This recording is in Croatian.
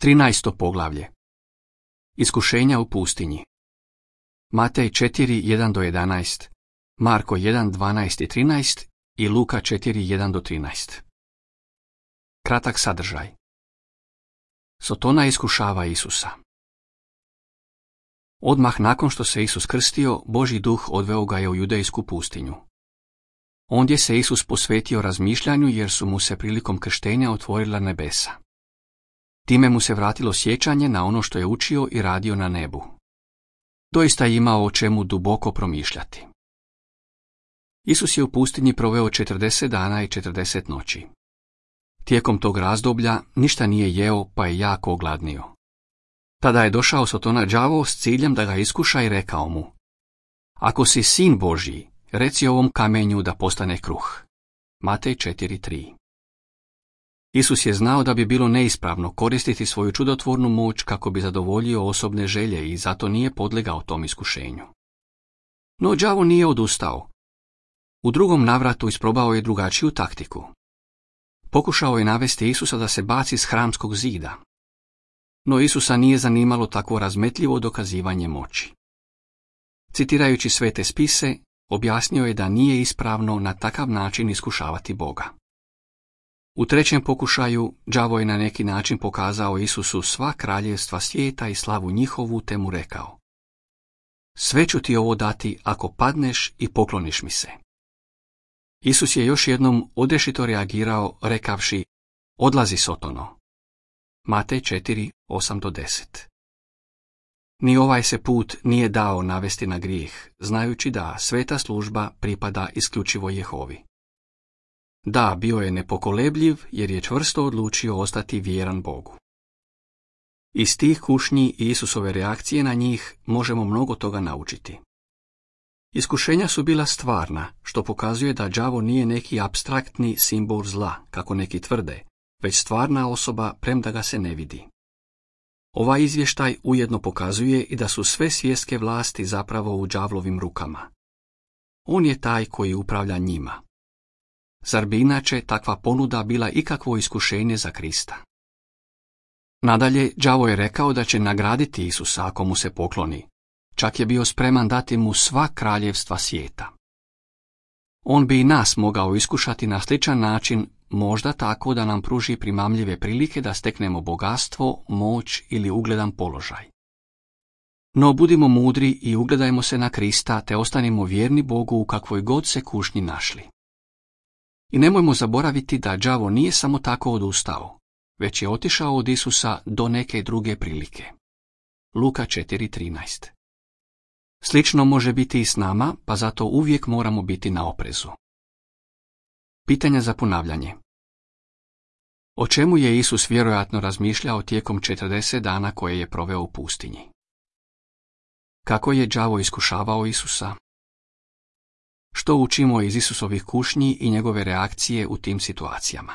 13. poglavlje. Iskušenja u pustinji. Matej 4:1-11, Marko 1:12-13 i Luka 4:1-13. Kratak sadržaj. Sotona iskušava Isusa. Odmah nakon što se Isus krstio, Božji duh odveo ga je u judejsku pustinju. Ondje se Isus posvetio razmišljanju jer su mu se prilikom krštenja otvorila nebesa. Time mu se vratilo sjećanje na ono što je učio i radio na nebu. Doista je imao o čemu duboko promišljati. Isus je u pustinji proveo 40 dana i 40 noći. Tijekom tog razdoblja ništa nije jeo pa je jako ogladnio. Tada je došao Sotona đavo s ciljem da ga iskuša i rekao mu: Ako si sin Božji, reci ovom kamenju da postane kruh. Matej 4:3. Isus je znao da bi bilo neispravno koristiti svoju čudotvornu moć kako bi zadovoljio osobne želje i zato nije podlegao tom iskušenju. No đavo nije odustao. U drugom navratu isprobao je drugačiju taktiku. Pokušao je navesti Isusa da se baci s hramskog zida. No Isusa nije zanimalo takvo razmetljivo dokazivanje moći. Citirajući svete spise, objasnio je da nije ispravno na takav način iskušavati Boga. U trećem pokušaju đavo je na neki način pokazao Isusu sva kraljevstva svijeta i slavu njihovu te mu rekao: Sve ću ti ovo dati ako padneš i pokloniš mi se. Isus je još jednom odrješito reagirao rekavši: Odlazi Sotono. Matej 4:8-10. Ni ovaj se put nije dao navesti na grijeh, znajući da sveta služba pripada isključivo Jehovi. Da, bio je nepokolebljiv jer je čvrsto odlučio ostati vjeran Bogu. Iz tih kušnji i Isusove reakcije na njih možemo mnogo toga naučiti. Iskušenja su bila stvarna, što pokazuje da đavo nije neki apstraktni simbol zla, kako neki tvrde, već stvarna osoba premda ga se ne vidi. Ovaj izvještaj ujedno pokazuje i da su sve svjetske vlasti zapravo u đavlovim rukama. On je taj koji upravlja njima. Zar bi inače takva ponuda bila ikakvo iskušenje za Krista? Nadalje, đavo je rekao da će nagraditi Isusa ako mu se pokloni. Čak je bio spreman dati mu sva kraljevstva svijeta. On bi i nas mogao iskušati na sličan način, možda tako da nam pruži primamljive prilike da steknemo bogatstvo, moć ili ugledan položaj. No budimo mudri i ugledajmo se na Krista te ostanimo vjerni Bogu u kakvoj god se kušnji našli. I nemojmo zaboraviti da đavo nije samo tako odustao, već je otišao od Isusa do neke druge prilike. Luka 4:13. Slično može biti i s nama, pa zato uvijek moramo biti na oprezu. Pitanja za ponavljanje. O čemu je Isus vjerojatno razmišljao tijekom 40 dana koje je proveo u pustinji? Kako je đavo iskušavao Isusa? Što učimo iz Isusovih kušnji i njegove reakcije u tim situacijama?